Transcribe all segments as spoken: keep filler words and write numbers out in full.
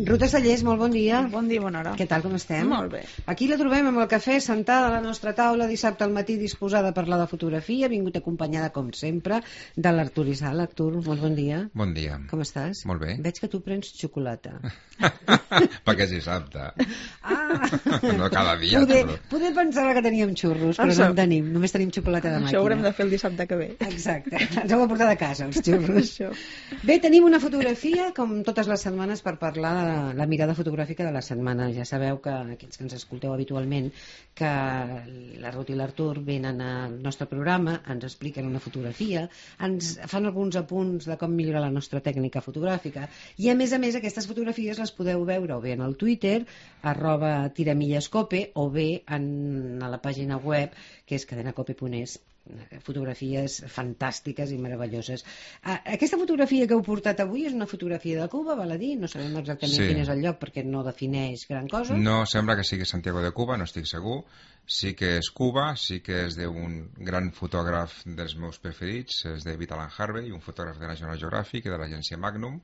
Ruta Sallés, molt bon dia. Bon dia, bona hora. Què tal, com estem? Molt bé. Aquí la trobem amb el cafè, sentada a la nostra taula dissabte al matí, disposada a parlar de fotografia, vingut acompanyada, com sempre, de l'Artur Isal. Artur, molt bon dia. Bon dia. Com estàs? Molt bé. Veig que tu prens xocolata. Perquè és dissabte. Ah! No cada dia. Poder, però... poder pensava que teníem xurros, però Això. no en tenim. Només tenim xocolata de màquina. Això ho haurem de fer el dissabte que ve. Exacte. Ens heu de portar de casa, els xurros. Això. Bé, tenim una fotografia, com totes les setmanes, per parlar de la, la mirada fotogràfica de la setmana. Ja sabeu que, aquells que ens escolteu habitualment, que la Ruth i l'Artur venen al nostre programa, ens expliquen una fotografia, ens fan alguns apunts de com millorar la nostra tècnica fotogràfica, i a més a més aquestes fotografies les podeu veure o bé en el Twitter, arroba tiramillescope, o bé en, a la pàgina web, que és cadenacope punt es. Fotografies fantàstiques i meravelloses. Aquesta fotografia que heu portat avui és una fotografia de Cuba, val a dir? No sabem exactament Sí. quin és el lloc perquè no defineix gran cosa. No sembla que sigui Santiago de Cuba, no estic segur. Sí que és Cuba, sí que és d'un gran fotògraf dels meus preferits, és David Alan Harvey, un fotògraf de National Geographic i de l'agència Magnum,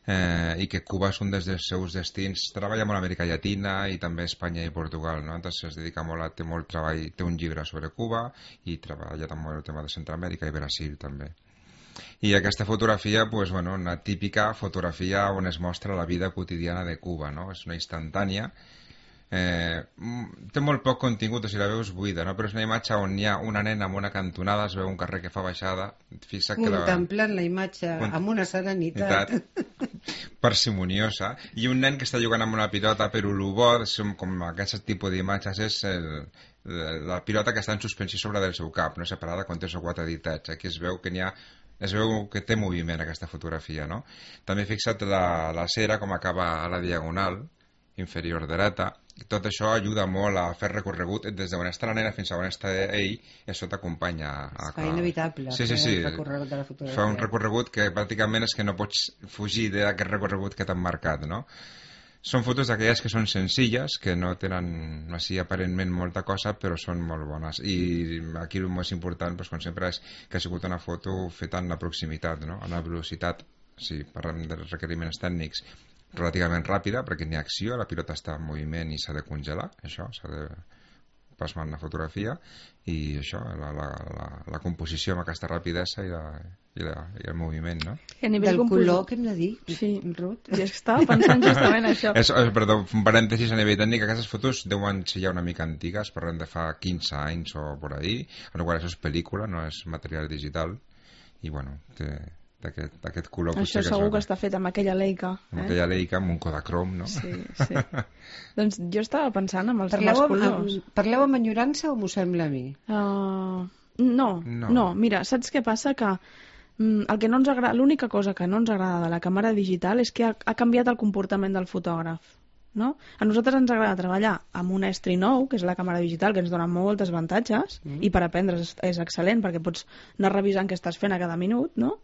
eh, i que Cuba és un dels seus destins. Treballa molt a Amèrica Llatina i també a Espanya i Portugal, no? Entonces es dedica molt a, té molt treball, té un llibre sobre Cuba i treballa també el tema de Centroamèrica i Brasil també. I aquesta fotografia, pues, bueno, una típica fotografia on es mostra la vida quotidiana de Cuba, no? És una instantània. Eh, té molt poc contingut, o sigui, la veus buida, no? Però és una imatge on hi ha una nena amb una cantonada, es veu un carrer que fa baixada, fixa que Contemplant la, la imatge Cont... amb una serenitat parsimoniosa, i un nen que està jugant amb una pilota, però el bo, com aquest tipus d'imatges, és el, la pilota que està en suspensió sobre del seu cap, no separada, quan té els quatre ditats. Aquí es veu que n'hi ha es veu que té moviment aquesta fotografia, no? També fixa't la, la cera com acaba a la diagonal inferior dreta. Tot això ajuda molt a fer recorregut des d'on està la nena fins a on està ell, i això t'acompanya a... Es fa inevitable sí, sí, sí. el recorregut de la fotografia. Fa un recorregut que pràcticament és que no pots fugir d'aquest recorregut que t'han marcat, no? Són fotos d'aquelles que són senzilles, que no tenen així aparentment molta cosa, però són molt bones. I aquí el més important, doncs, com sempre, és que ha sigut una foto feta en la proximitat, no? En la velocitat, si parlem dels requeriments tècnics, relativament ràpida, perquè n'hi ha acció, la pilota està en moviment i s'ha de congelar, això, s'ha de plasmar en la fotografia, i això, la, la, la, la composició amb aquesta rapidesa i, la, i, la, i el moviment, no? I a nivell Del composi... color que hem de dir, sí. Ruth. I és que estava pensant justament això. És, perdó, un parèntesis a nivell tècnic, aquestes fotos deuen ser ja una mica antigues, parlem de fa quinze anys o por ahí, en el qual això és pel·lícula, no és material digital, i bueno, té... d'aquest color. Això segur que està fet amb aquella Leica. Amb eh? aquella Leica, amb un Kodachrome, no? Sí, sí. Doncs jo estava pensant amb els, Parleu, amb els amb, colors. amb, parleu amb enyorança o m'ho sembla a mi? Uh, no, No. no, mira, saps què passa? Que mm, el que no ens agrada, l'única cosa que no ens agrada de la càmera digital és que ha, ha canviat el comportament del fotògraf. No? A nosaltres ens agrada treballar amb un estri nou, que és la càmera digital, que ens dona moltes avantatges, mm. i per aprendre és, és excel·lent, perquè pots anar revisant què estàs fent a cada minut, no?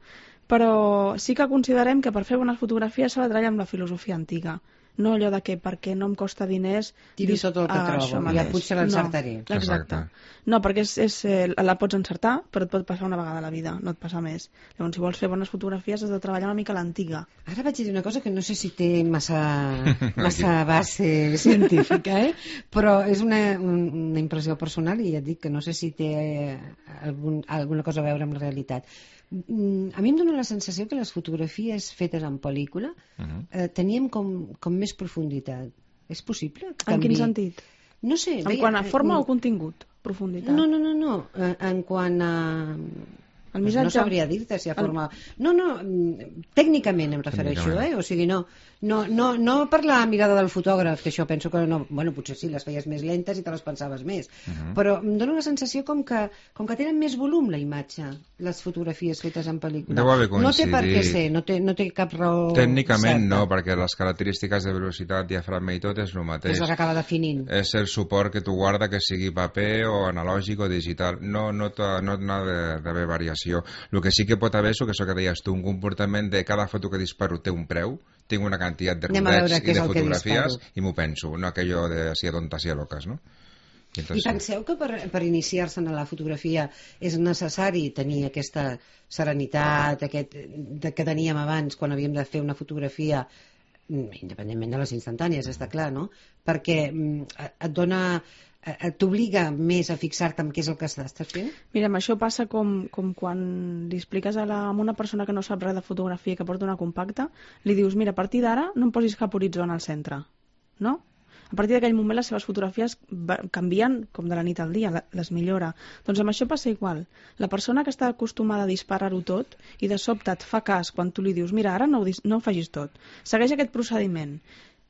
Però sí que considerem que per fer bones fotografies s'ha de treballar amb la filosofia antiga. No allò de que perquè no em costa diners... Tiro tot el que ah, trobo, ja potser l'encertaré. No, exacte. No, perquè és, és, eh, la pots encertar, però et pot passar una vegada a la vida, no et passa més. Llavors, si vols fer bones fotografies has de treballar una mica a l'antiga. Ara vaig dir una cosa que no sé si té massa, massa base científica, eh? Però és una, una impressió personal i ja et dic que no sé si té algun, alguna cosa a veure amb la realitat. A mi em dóna la sensació que les fotografies fetes en pel·lícula uh-huh. eh, teníem com, com més profunditat. És possible? En quin sentit? No sé. En quant a forma o contingut? Profunditat? No, no, no, no. En quant a... El missatge... No sabria dir-te si ha forma... No, no, tècnicament em refereixo, eh? O sigui, no, no, no, no per la mirada del fotògraf, que això penso que no... Bueno, potser sí, les feies més lentes i te les pensaves més. Uh -huh. Però em dóna la sensació com que, com que tenen més volum la imatge, les fotografies fetes en pel·lícula. Deu haver coincidit. No té per què ser, no té, no té cap raó Tècnicament certa. No, perquè les característiques de velocitat, diafragma i tot és el mateix. És el que acaba definint. És el suport que tu guarda, que sigui paper o analògic o digital. No, no, no, no ha d'haver variació. El que sí que pot haver és que això que deies tu, un comportament de cada foto que disparo té un preu, tinc una quantitat de rodets i de fotografies i m'ho penso, no aquello de si tontas i loques, no? I, entonces, I penseu que per, per iniciar-se en la fotografia és necessari tenir aquesta serenitat aquest, de, que teníem abans quan havíem de fer una fotografia independentment de les instantànies, està clar, no? Perquè et dona... t'obliga més a fixar-te en què és el que estàs fent? Mira, això passa com, com quan li expliques a, la, a una persona que no sap res de fotografia, que porta una compacta, li dius, mira, a partir d'ara no em posis cap horitzó al centre, no? A partir d'aquell moment les seves fotografies canvien com de la nit al dia, les millora. Doncs amb això passa igual. La persona que està acostumada a disparar-ho tot i de sobte et fa cas quan tu li dius, mira, ara no ho, no ho facis tot. Segueix aquest procediment.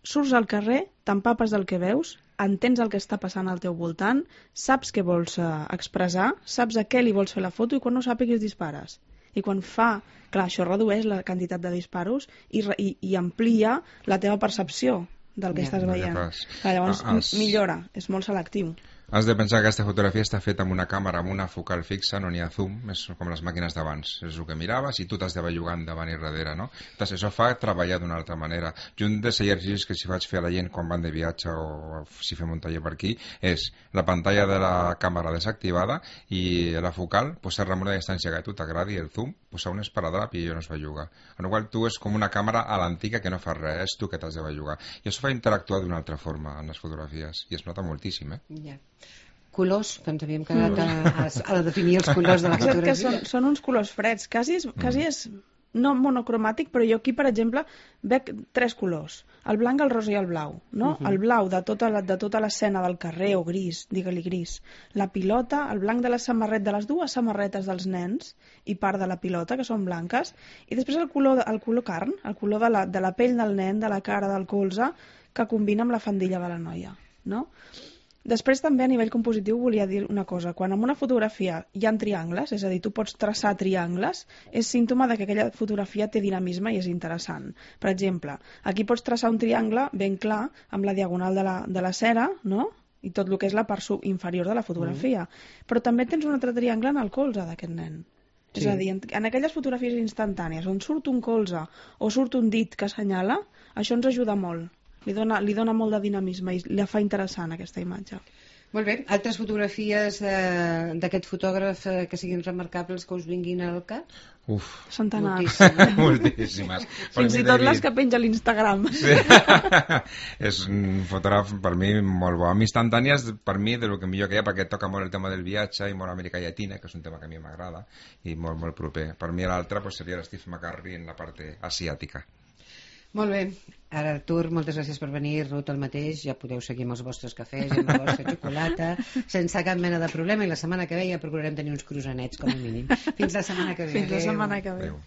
Surts al carrer, t'empapes del que veus, entens el que està passant al teu voltant, saps què vols uh, expressar, saps a què li vols fer la foto i quan no sàpigues dispares. I quan fa... Clar, això redueix la quantitat de disparos i, i, i amplia la teva percepció del que yeah. estàs veient. Clar, llavors ah, has... millora, és molt selectiu. Has de pensar que aquesta fotografia està feta amb una càmera, amb una focal fixa, no n'hi ha zoom, és com les màquines d'abans, és el que miraves i tu t'has de bellugar davant i darrere, no? Entonces, això fa treballar d'una altra manera. I un dels exercicis que si faig fer a la gent quan van de viatge o si fem un taller per aquí és la pantalla de la càmera desactivada i la focal, posar-la en una distància que a tu t'agradi, el zoom, posar un esparadrap i ella no es belluga. En la qual tu és com una càmera a l'antiga que no fa res, és tu que t'has de bellugar. I això fa interactuar d'una altra forma en les fotografies i es nota moltíssim, eh? Ja. Yeah. Colors, que ens havíem quedat a, a, a definir els colors de la fotografia. Que són, són uns colors freds, quasi és, quasi és no monocromàtic, però jo aquí, per exemple, veig tres colors, el blanc, el rosa i el blau, no? Uh -huh. El blau de tota la, de tota l'escena del carrer, o gris, digue-li gris, la pilota, el blanc de la samarreta, de les dues samarretes dels nens i part de la pilota, que són blanques, i després el color, el color carn, el color de la, de la pell del nen, de la cara, del colze, que combina amb la faldilla de la noia, no? Després també a nivell compositiu volia dir una cosa, quan en una fotografia hi ha triangles, és a dir, tu pots traçar triangles, és símptoma de que aquella fotografia té dinamisme i és interessant. Per exemple, aquí pots traçar un triangle ben clar amb la diagonal de la, de la cera, no? I tot el que és la part inferior de la fotografia. Mm. Però també tens un altre triangle en el colze d'aquest nen. Sí. És a dir, en, en aquelles fotografies instantànies on surt un colze o surt un dit que assenyala, això ens ajuda molt. Li dona, li dona molt de dinamisme i la fa interessant aquesta imatge. Molt bé. Altres fotografies eh, d'aquest fotògraf eh, que siguin remarcables que us vinguin al cap? Uf. Centenars. Moltíssimes. Moltíssimes. Fins i tot les que penja a l'Instagram. Sí. És un fotògraf per mi molt bo. Amb instantànies, per mi, de lo que millor que hi ha, perquè toca molt el tema del viatge i molt Amèrica Llatina, que és un tema que a mi m'agrada i molt, molt proper. Per mi l'altre pues, seria l'Steve McCurry en la part asiàtica. Molt bé. Ara, Artur, moltes gràcies per venir. Ruth, el mateix. Ja podeu seguir amb els vostres cafès i amb la vostra xocolata sense cap mena de problema. I la setmana que ve ja procurarem tenir uns croissanets, com a mínim. Fins la setmana que ve. Fins la setmana que ve. Adéu.